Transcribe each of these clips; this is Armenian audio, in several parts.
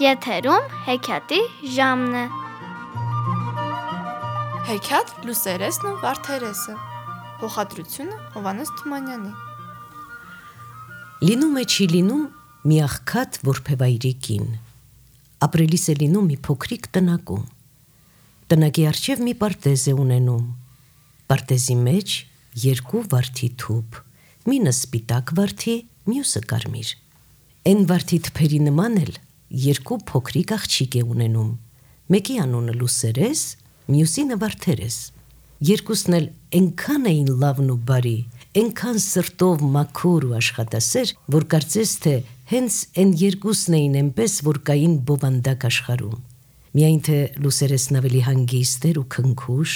Եթերում հեքիաթի ժամն է։ Հեքիաթ Լուսերեսն ու Վարդերեսը։ Հողադրությունը Հովհաննես Թումանյանի։ Լինում է չի լինում մի աղքատ որբևայրի կին։ Ապրելիս է լինում մի փոքրիկ տնակում։ Տնակի առջև մի պարտեզ է ունենում։ Պարտեզի մեջ երկու վարդի թուփ, մինը սպիտակ վարդի, մյուսը կարմիր։ Էն վարդի թփերի նման էլ երկու փոքրիկ աղջիկ է ունենում, մեկի անունը Լուսերես, մյուսինը Վարդերես։ Երկուսն էլ այնքան էին լավն ու բարի, այնքան սրտով մաքուր ու աշխատասեր, որ կարծես թե հենց այն երկուսն էին այնպես, որ կային բովանդակ աշխարհում։ Միայն թե Լուսերեսն ավելի հանգիստ էր ու քնքուշ,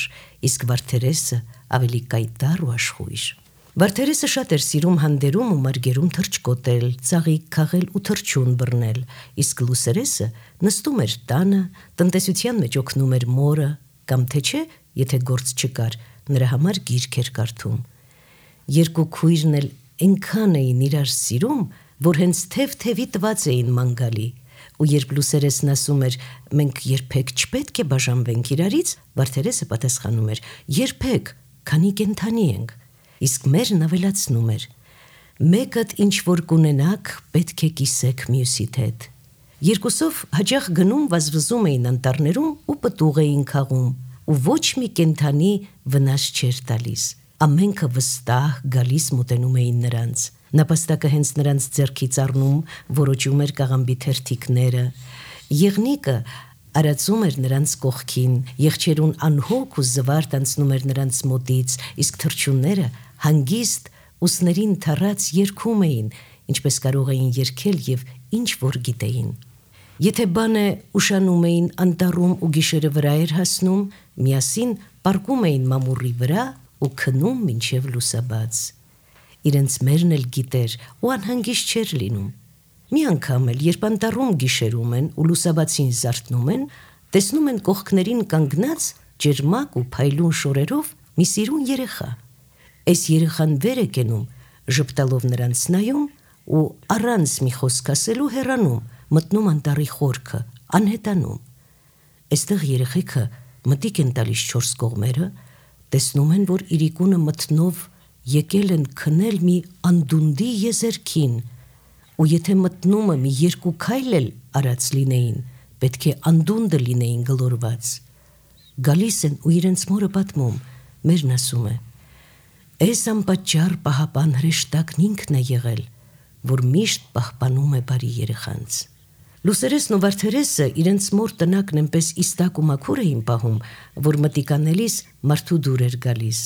իսկ Վարդերեսը ավելի կայտառ ու աշխույժ։ Վարդերեսը շատ էր սիրում հանդերում ու մարգերում թռչկոտել, ծաղիկ քաղել ու թռչուն բռնել, իսկ Լուսերեսը նստում էր տանը, տնտեսության մեջ օգնում էր մորը, կամ թե չէ, եթե գործ չկար, նրա համար գիրք էր կարդում։ Երկու քույրն էլ այնքան էին իրար սիրում, որ հենց թև-թևի տված էին ման գալի, ու երբ Լուսերեսն ասում էր մենք երբեք չպետք է բաժանվենք իրարից, Վարդերեսը պատասխանում էր երբեք, քանի կենդանի ենք, իսկ մերն ավելացնում էր մեկդ ինչ որ կունենաք, պետք է կիսեք մյուսիդ հետ։ Երկուսով հաճախ գնում վազվզում էին անտառներում ու պտուղ էին քաղում, ու ոչ մի կենդանի վնաս չէր տալիս։ Ամենքը վստահ գալիս մոտենում էին նրանց։ Նապաստակը հենց նրանց ձեռքից առնում, որոճում էր կաղամբի թերթիկները։ Եղնիկը արածում էր նրանց կողքին, եղջերուն անհոգ ու զվարթ անցնում էր նրանց մոտից, իսկ թռչունները հանգիստ ուսներին թռած երգում էին, ինչպես կարող էին երգել եւ ինչ որ գիտեին։ Եթե բանը ուշանում էին անտառում ու գիշերը վրա էր հասնում, միասին պառկում էին մամուռի վրա ու քնում մինչև լուսաբաց։ Իրենց մերն էլ գիտեր ու անհանգիստ չէր լինում։ Մի անգամ էլ, երբ անտառում գիշերում են ու լուսաբացին զարթնում են, տեսնում են կողքներին կանգնած ջերմակ ու փայլուն շորերով մի սիրուն երեխա։ Այս երեխան վեր է կենում, ժպտալով նրանց նայում ու առանց մի խոսք ասելու հեռանում, մտնում անտառի խորքը, անհետանում։ Այստեղ երեխեքը մտիկ են տալիս չորս կողմերը, տեսնում են, որ իրիկունը մտնով եկել են քնել մի անդունդի եզերքին, ու եթե մտնումը մի երկու քայլ էլ արած լինեին, պետք է անդունդը լինեին գլորված։ Գալիս են ու իրենց մորը պատմում, մերն ասում է. «Այս անպատճառ պահապան հրեշտակն ինքն է եղել, որ միշտ պահպանում է բարի երեխանց»։ Լուսերեսն ու Վարդերեսը իրենց մոր տնակն այնպես իստակ ու մաքուր էին պահում, որ մտիկ անելիս մարդու դուր էր գալիս։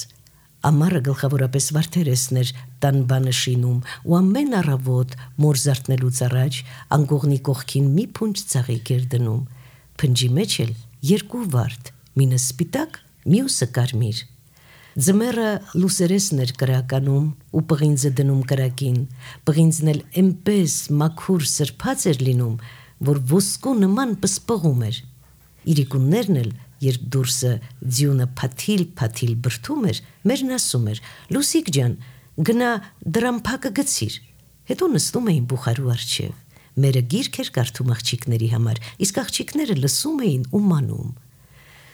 Ամառը գլխավորապես Վարդերեսն էր տան բանը շինում ու ամեն առավոտ մոր զարթնելուց առաջ անկողնի կողքին մի փունջ ծաղիկ էր դնում։ Փնջի մեջ էլ երկու վարդ, մինը սպիտակ, մյուսը կարմիր։ Ձմեռը Լուսերեսն էր կրականում ու պղինձը դնում կրակին, պղինձն էլ այնպես մաքուր սրբած էր լինում, որ ոսկու նման պսպղում էր։ Իրիկուններն էլ, երբ դուրսը ձյունը փաթիլ բրդում էր, մերն ասում էր. «Լուսիկ ջան, գնա դրամփակը գցիր»։ Հետո նստում էին բուխարու առջև։ Մերը գիրք էր կարդում աղջիկների համար, իսկ աղջիկները լսում էին ու մանում։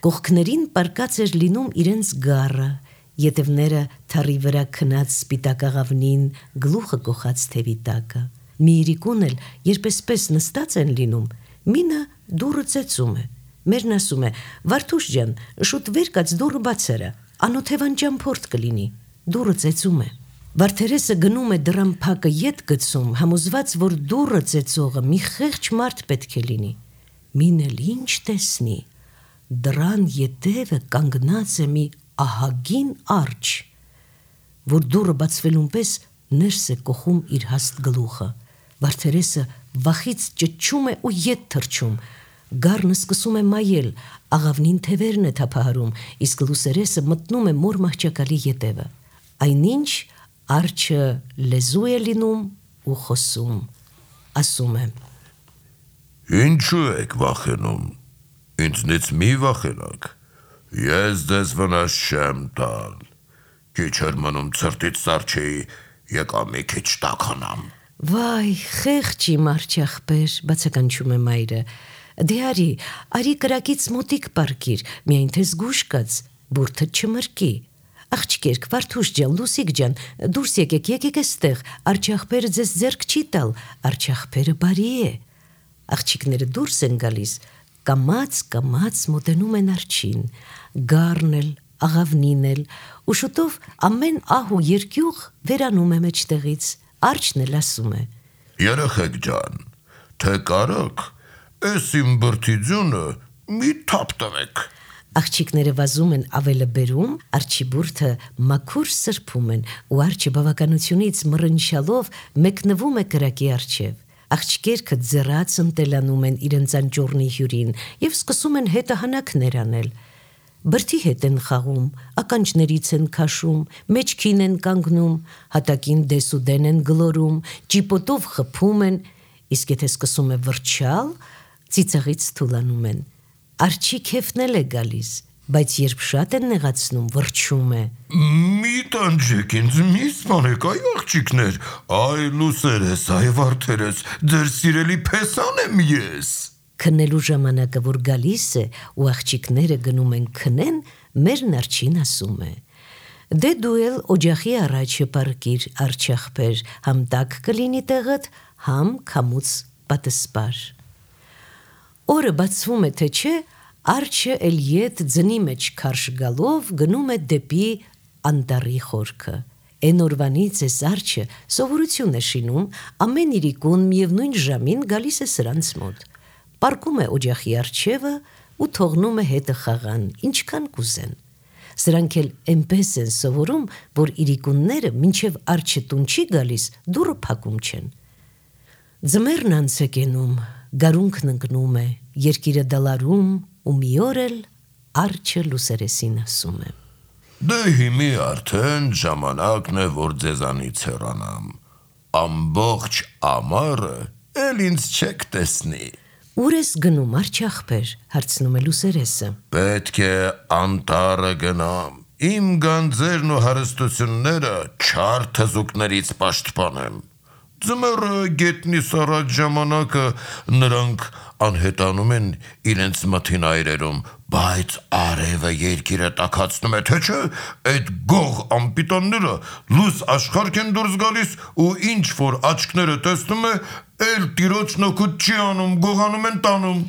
Կողքներին պառկած էր լինում իրենց գառը, ետևները թառի վրա քնած սպիտակ աղավնին, գլուխը կոխած թևի տակը։ Մի իրիկուն էլ, երբ էսպես նստած են լինում, մինը դուռը ծեծում է։ Մերն ասում է. «Վարդուշ ջան, շուտ վեր կաց դուռը բաց արա, անօթևան ճամփորդ կլինի»։ Դուռը ծեծում է։ Վարդերեսը գնում է դրամփակը ետ գցում, համոզված, որ դուռը ծեծողը մի խեղճ մարդ պետք է լինի։ Մին էլ ինչ տեսնի, դռան ետևը կանգնած է մի ահագին արջը, որ դուռը բացվելուն պես ներս է կոխում իր հաստ գլուխը։ Վարդերեսը վախից ճչում է ու ետ թռչում։ Գառն սկսում է մայել, աղավնին թևերն է թափահարում, իսկ Լուսերեսը մտնում է մոր մահճակալի ետևը։ Այնինչ արջը լեզու է լինում ու խոսում, ասում է. «Ինչու եք վախենում, ինձնից մի վախենաք, ես ձեզ վնաս չեմ տալ, քիչ էր մնում ցրտից սառչեի, եկա մի քիչ տաքանամ»։ Վայ, խեղճ իմ արջախպեր, բացականչում է մայրը։ Դե արի կրակից մոտիկ պարկիր, միայն թե զգուշ կաց, բուրդը չմրկի։ Աղջկերք, Վարդուշ ջան, Լուսիկ ջան, դուրս եկեք էստեղ, արջախպերը ձեզ ձեռք չի տալ, արջախպերը բարի է։ Աղջիկները դուրս են գալիս, կամաց մոտենում են արջին, գառն էլ, աղավնին էլ, ու շուտով ամեն ահ ու երկյուղ վերանում է մեջտեղից, արջն էլ ասում է. Երեխեք ջան, թե կարաք, էս իմ բրդի ձյունը մի թափ տվեք։ Աղջիկները վազում են ավելը բերում, արջի բուրդը մաքուր սրբում են, ու արջը բավականությունից մռնչալով մեկնվում է կրակի առջև։ Աղջիկերքը ձեռած ընտելանում են իրենց անճոռնի հյուրին և սկսում են հետահանակներ անել։ Բրդի հետ են խաղում, ականջներից են քաշում, մեջքին են կանգնում, հատակին դեսուդեն են գլորում, ճիպոտով խփում են, իսկ եթե սկսում է վրչալ, ծիծաղից թուլանում են։ Արջի քեֆն էլ է գալիս, բայց երբ շատ են նեղացնում, վրչում է. Մի տանջեք ինձ, մի սպանեք, այ աղջիկներ, այ լուսերես, այ վարդերես, ձեր սիրելի փեսան եմ ես։ Քննելու ժամանակը որ գալիս է ու աղջիկները գնում են քնեն, մեր արջին ասում է. Դե դու էլ օջախի առաջը պարկիր, արջախպեր, համ տաք կլինի տեղդ, համ քամուց պատսպար։ Օրը բացվում է թե չէ, արջը էլ ետ ձնի մեջ քարշ գալով գնում է դեպի անտառի խորքը։ Էն օրվանից էս արջը սովորություն է շինում, ամեն իրիկուն միևնույն ժամին գալիս է սրանց մոտ։ Պարկում է օջախի առջևը ու թողնում է հետը խաղան, ինչքան կուզեն։ Սրանք էլ էնպես են սովորում, որ իրիկունները մինչև արջը տուն չի գալիս, դուռը փակում չեն։ Ձմեռն անց է կենում, գարունքն ընկնում է, երկիրը դալարում ու մի օր էլ արջը լուսերեսին ասում է. Դե հիմի արդեն ժամանակն է, որ ձեզանից հեռանամ, ամբողջ ամառը էլ ինձ չեք տեսնի։ Ուր ես գնում, արջախպեր, հարցնում է լուսերեսը։ Պետք է անտառը գնամ, իմ գանձերն ու հարստությունները չար թզուկներից պաշտպանեմ։ Ձմեռը գետնից առաջ ժամանակը նրանք անհետանում են իրենց մթին այրերում, բայց արևը երկիրը տաքացնում է, թե չէ, այդ գող անպիտանները լույս աշխարհ են դուրս գալիս ու ինչ որ աչքները տեսնում է, էլ տիրոջ նոքուտ չի անում, գողանում են տանում։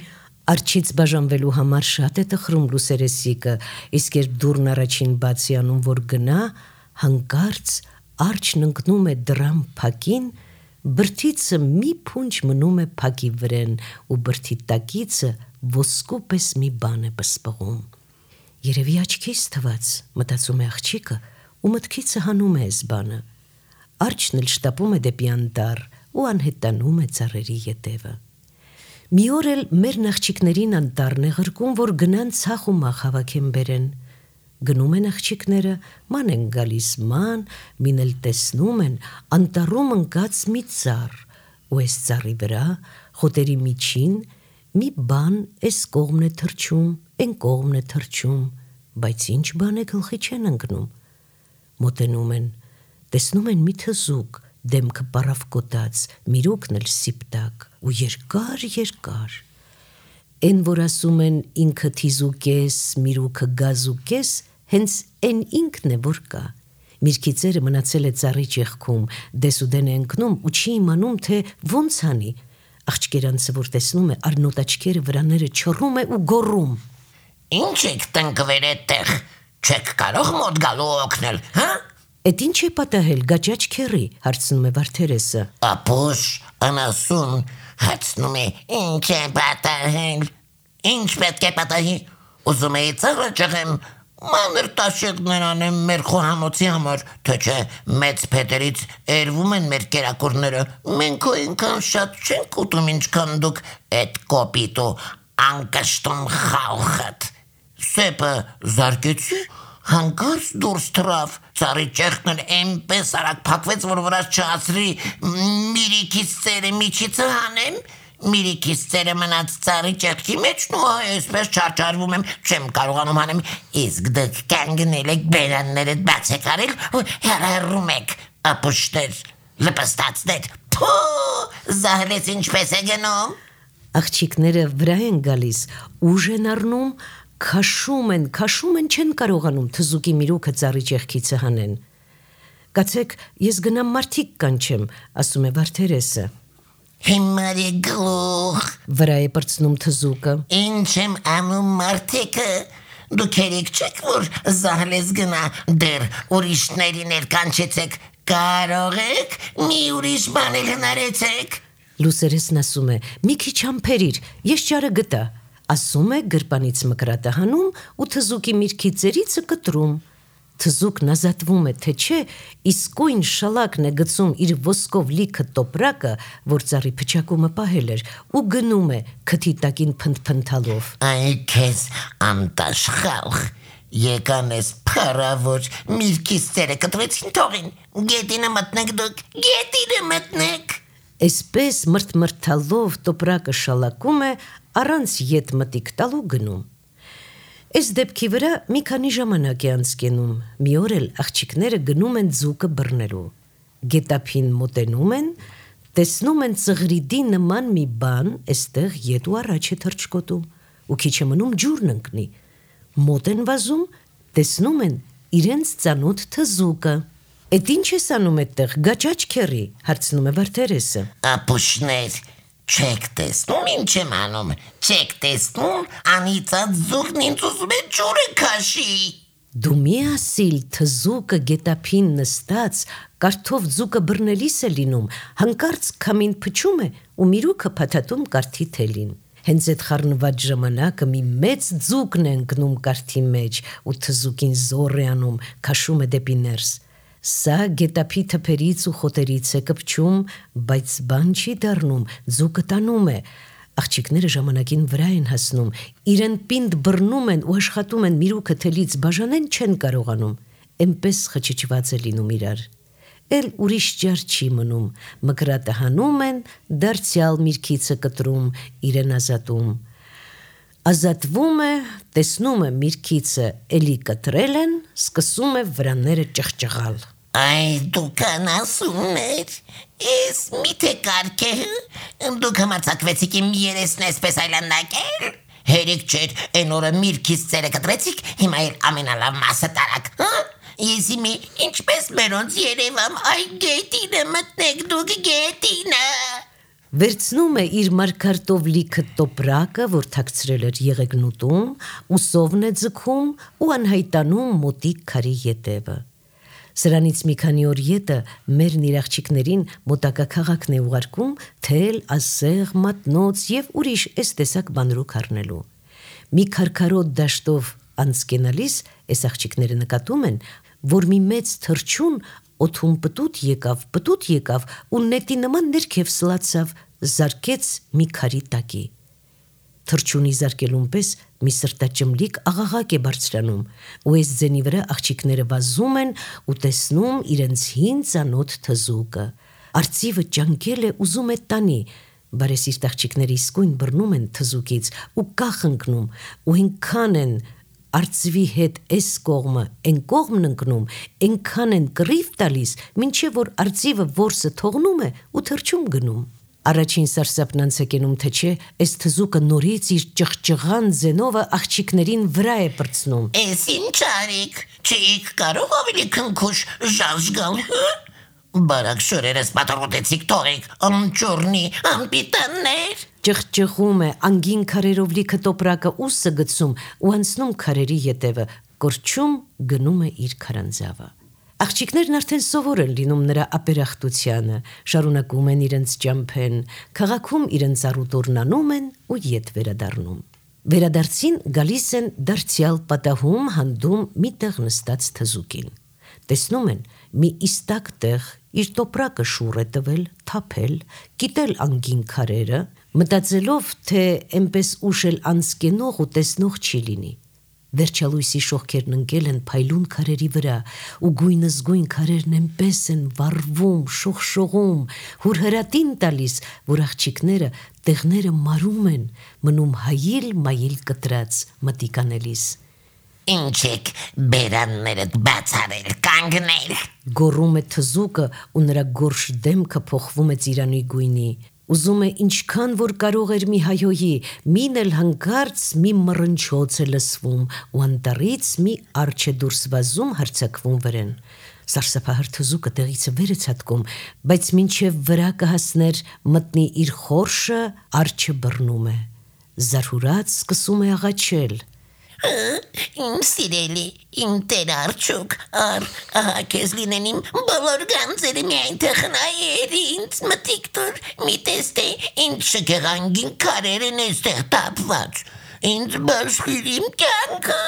Արջից բաժանվելու համար շատ է տխրում լուսերեսիկը, իսկ երբ դուռն առաջին բացի անում, որ գնա, հանկարծ արջն ընկնում է դռան փակին, բրդիցը մի փունջ մնում է փակի վրեն ու բրդի տակիցը ոսկու պես մի բան է պսպղում։ Երևի աչքիս թված, մտածում է աղջիկը ու մտքիցը հանում է այս բանը։ Արջն էլ շտապում է դեպի անտառ ու անհետանում է ծառերի ետևը։ Մի օր էլ մեր աղջիկներին անտառն է ղրկում, որ գնան ցախ ու մախ հավաքեն բերեն։ Գնում են աղջիկները, ման են գալիս ման, մին էլ տեսնում են անտառում ընկած մի ծառ, ու այս ծառի վրա խոտերի միջին մի բան էս կողմն է թռչում, էն կողմն է թռչում, բայց ինչ բան է գլխի չեն ընկնում։ Մոտենում են, տեսնում են մի թզուկ, դեմքը պարավկոտած, միրուքն էլ սիպտակ ու երկար։ Էն որ ասում են ինքը թիզուկես, միրուքը գազուկես, հենց էն ինքն է որ կա։ Միրգիծերը մնացել է ծառի ճեղքում, դեսուդեն է ընկնում ու չի իմանում, թե ոնց անի։ Աղջկերանցը որ տեսնում է, արնոտ աչքերը վրաները չռում է ու գոռում. Ինչ եք տնկվել այդտեղ, չեք կարող մոտ գալու օգնել, հա? Էդ ինչ է պատահել, գաճաճ քերի, հարցնում է Վարդերեսը։ Ապուշ, անասուն, հարցնում է, ինչ է պատահել, ինչ պետք է պատահի, ուզում էի ծառը ճեղեմ, մանր տաշիկներ անեմ մեր խոհանոցի համար, թե չէ մեծ փետերից էրվում են մեր կերակուրները, մենք ու ինքան շատ չենք ուտում ինչքան դուք այդ կոպիտ ու անկշտում խաղողդ։ Սեպը զարկեցի, հանկարծ դուրս թռավ, ծառի ճեղքն էլ էնպես արագ փակվեց, որ վրաս չհասրի միրիկից ծերը միջիցը հանեմ, միրիկից ծերը մնաց ծառի ճեղքի մեջն ու այսպես չարչարվում եմ, չեմ կարողանում հանեմ, իսկ դուք կանգնել եք բերաններդ բաց եք արել ու հեռահեռում եք, ապուշներ, լպստացներ, Փո, զահլեց ինչպես է գնում։ Աղջիկները վրա են գալիս, ուժ են առնում, քաշում են, չեն կարողանում թզուկի միրուքը ծառի ճեղքիցը հանեն։ Կացեք, ես գնամ մարդիկ կանչեմ, ասում է Վարդերեսը։ Հիմար է գլուխ։ Վրա է պրծնում թզուկը։ Ինչ եմ անում մարդիկը։ Դուք երեք չեք, որ զահլես գնա դեր ուրիշներին էլ կանչեցեք, կարող եք մի ուրիշ բան էլ հնարեցեք։ Լուսերեսն ասում է, մի քիչ համբերիր, ես ճարը գտա, ասում է գրպանից մկրատը հանում ու թզուկի միրգի ծերիցը կտրում։ Թզուկն ազատվում է, թե չէ, իսկույն շալակն է գցում իր ոսկով լիքը տոպրակը, որ ծառի փչակումը պահել էր, ու գնում է քթի տակին փնթփնթալով։ Այ քեզ անտաշխալխ, եկան ես փարավոր միրգից ծերը կտրեցին թողին, գետինը մտնեք դուք, գետինը մտնեք։ Այսպես մրթմրթալով տոպրակը շալակում է, առանց ետ մտիկ տալու գնում։ Այս դեպքի վրա մի քանի ժամանակ է անցկենում, մի օր էլ աղջիկները գնում են ձուկը բռնելու։ Գետափին մոտենում են, տեսնում են ծղրիդի նման մի բան, այստեղ ետ ու առաջ է թռչկոտում, ու քիչ է մնում ջուրն ընկնի։ Մոտ են վազում, տեսնում են իրենց ծանոթ թզուկը։ Էդ ինչ ես անում այդտեղ, գաճաճ քեռի, հարցնում է Վարդերեսը։ Ապուշներ, չեք տեսնում ինչ եմ անում, չեք տեսնում անիծած ձուկն ինձ ուզում է ջուրը քաշի։ Դու մի ասիլ թզուկը գետափին նստած, կարթով ձուկը բռնելիս է լինում, հանկարծ քամին փչում է ու միրուքը փաթաթում կարթի թելին։ Հենց այդ խառնված ժամանակը մի մեծ ձուկն է ընկնում կարթի մեջ ու թզուկին զոռ է անում, քաշում է դեպի ներս։ Սա գետափի թփերից ու խոտերից է կպչում, բայց բան չի դառնում, ձուկը տանում է։ Աղջիկները ժամանակին վրա են հասնում, իրեն պինդ բռնում են ու աշխատում են միրուքը թելից բաժանեն, չեն կարողանում, էնպես խճճված է լինում իրար։ Էլ ուրիշ ջար չի մնում, մկրատը հանում են, դարձյալ միրգիցը կտրում, իրեն ազատում։ Ազատվում է, տեսնում է միրգիցը էլի կտրել են, սկսում է վրաները ճղճղալ։ Այ դուք անասուններ, ես միթե կարգ է, դուք համարձակվեցիք իմ երեսն այսպես այլանդակել։ Հերիք չէր, այն օրը միրգից ծերը կտրեցիք, հիմա էլ ամենալավ մասը տարակ, հա? Ես իմի ինչպես մերոնց երևամ, այ գետինը մտնեք դուք գետինը։ Վերցնում է իր մարգարտով լիքը տոպրակը, որ թաքցրել էր եղեգնուտում, ու սովն է ձգում ու անհայտանում մոտիկ քարի ետևը։ Սրանից մի քանի օր ետը մերն իր աղջիկներին մոտակա քաղաքն է ուղարկում թել, ասեղ, մատնոց եւ ուրիշ այս տեսակ բանրուք առնելու։ Մի քարքարոտ դաշտով անցկենալիս այս աղջիկները նկատում են, որ մի մեծ թռչուն օդում պտուտ եկավ ու նետի նման ներքև սլացավ, զարկեց մի քարի տակի։ Թռչունի զարկելուն պես մի սրտաճմլիկ աղաղակ է բարձրանում, ու այս ձենի վրա աղջիկները վազում են ու տեսնում իրենց հին ծանոթ թզուկը։ Արծիվը ճանկել է, ուզում է տանի, բարեսիրտ աղջիկները իսկույն բռնում են թզուկից ու կախ ընկնում, ու այնքան են արծվի հետ այս կողմը, այն կողմն ընկնում, այնքան են կռիվ տալիս, մինչև որ արծիվը որսը թողնում է ու թռչում գնում։ Առաջին սարսափն անցակենում թե չէ, այս թզուկը նորից իր ճղճղան ձենովը աղջիկներին վրա է պրծնում։ Էս ինչ արիք, չէիք կարող ավելի քնքուշ ժաժ գալ, բարակ շորերս պատրոտեցիք թողեք, անճորնի, անպիտաններ։ Ճղճղում է, անգին քարերով լիքը տոպրակը ուսը գցում ու անցնում քարերի ետևը, կորչում գնում է իր քարանձավը։ Աղջիկներն արդեն սովոր են լինում նրա ապերախտությանը, շարունակում են իրենց ճամփեն, քաղաքում իրենց առուտուրն անում են ու ետ վերադառնում։ Վերադարձին գալիս են դարձյալ պատահում հանդում մի տեղ նստած թզուկին։ Տեսնում են մի իստակ տեղ իր տոպրակը շուռ է տվել, թափել, կիտել անգին քարերը, մտածելով, թե այնպես ուշ էլ անցկենող ու տեսնող չի լինի։ Վերջալույսի շողքերն ընկել են փայլուն քարերի վրա, ու գույնզգույն քարերն այնպես են վառվում, շողշողում, հուրհրատին տալիս, որ աղջիկները տեղները մարում են, մնում հայիլ մայիլ կտրած մտիկանելիս։ ինչ եք բերաններդ բացարել, կանգնել։ Գոռում է թզուկը ու նրա գորշ դեմքը փոխվում է ծիրանի գույնի։ Ուզում է ինչքան որ կարող էր մի հայոյի, մին էլ հանկարծ մի մռնչոց է լսվում ու անտառից մի արջ է դուրս վազում հարձակվում վրան։ Սարսափահար թզուկը տեղից վեր է ցատկում, բայց մինչև վրա կհասներ մտնի իր խորշը, արջը բռնում է։ Զարհուրած սկսում է աղաչել։ Իմ սիրելի, իմ տեր արջուկ, ահա քեզ լինեն իմ բոլոր գանձերը միայն թե խնայերի ինձ մտիկ տուր, մի տեստե ինչ շքեղանգին քարեր են էստեղ տապված, ինձ բաշխիր իմ կյանքը,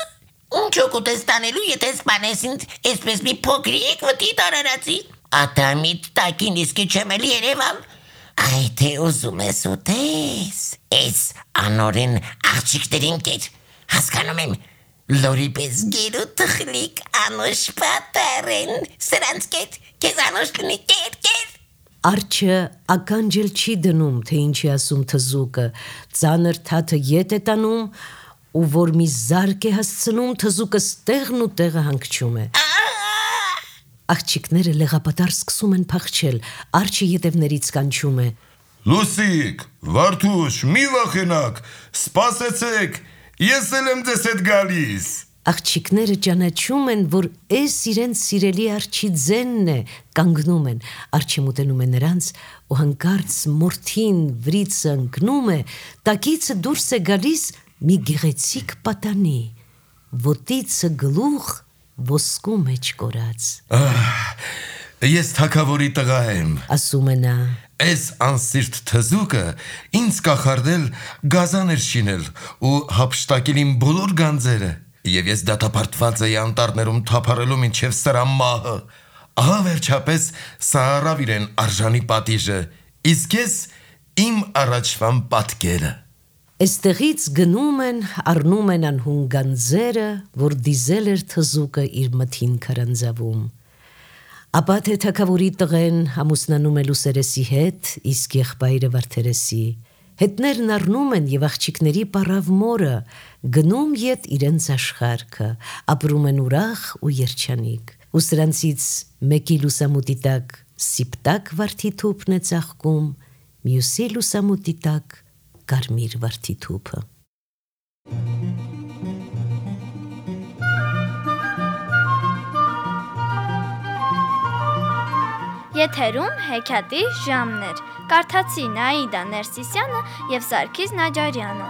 ինչ օգուտ ես տանելու, եթե սպանես ինձ այսպես մի փոքրիկ վտի տարարացի, ատամիտ տակին իսկի չեմ էլ երևալ, այ թե ուզում ես ուտես, այս անորեն աղջիկներին կեր, հասկանում եմ, լորի պես գերու թխլիկ անոշ պատար են, սրանց կետ, կեզ անոշ լինի կեր։ Արջը ականջել չի դնում, թե ինչի ասում թզուկը, ծանր թաթը ետ է տանում ու որ մի զարկ է հասցնում, թզուկը ստեղն ու տեղը հանգչում է։ Աղջիկները լեղապատար սկսում են փախչել, արջը ետևներից կանչում է. Լուսիկ, Վարդուշ, մի վախենակ, սպասեցեք, ես էլ եմ ձեզ հետ գալիս։ Աղջիկները ճանաչում են, որ էս իրենց սիրելի արջի ձենն է, կանգնում են, արջը մոտենում է նրանց ու հանկարծ մորթին վրիցը ընկնում է, տակիցը դուրս է գալիս մի գեղեցիկ պատանի, ոտիցը գլուխ ոսկու մեջ կորած։ Ես թագավորի տղա եմ, ասում է նա։ Այս անսիրտ թզուկը ինձ կախարդել գազան էր շինել ու հափշտակել իմ բոլոր գանձերը, և ես դատապարտված էի անտառներում թափառելու մինչև սրա մահը, ահա վերջապես սա առավ իրեն արժանի պատիժը, իսկ ես իմ առաջվան պատկերը։ Այստեղից գնում են, առնում են անհուն գանձերը, որ դիզել էր թզուկը իր մթին քարանձավում։ Ապա թե թագավորի տղեն ամուսնանում է Լուսերեսի հետ, իսկ եղբայրը Վարդերեսի։ Հետներն առնում են և աղջիկների պառավ մորը, գնում ետ իրենց աշխարհքը, ապրում են ուրախ ու երջանիկ։ Ու սրանցից մեկի լուսամուտի տակ սիպտակ վարդի թուփն է ծաղկում, մյուսի լուսամուտի տակ կարմիր վարդի թուփը։ Եթերում հեքիաթի ժամներ։ Կարդացի Նաիդա Ներսիսյանը և Սարգիս Նաջարյանը։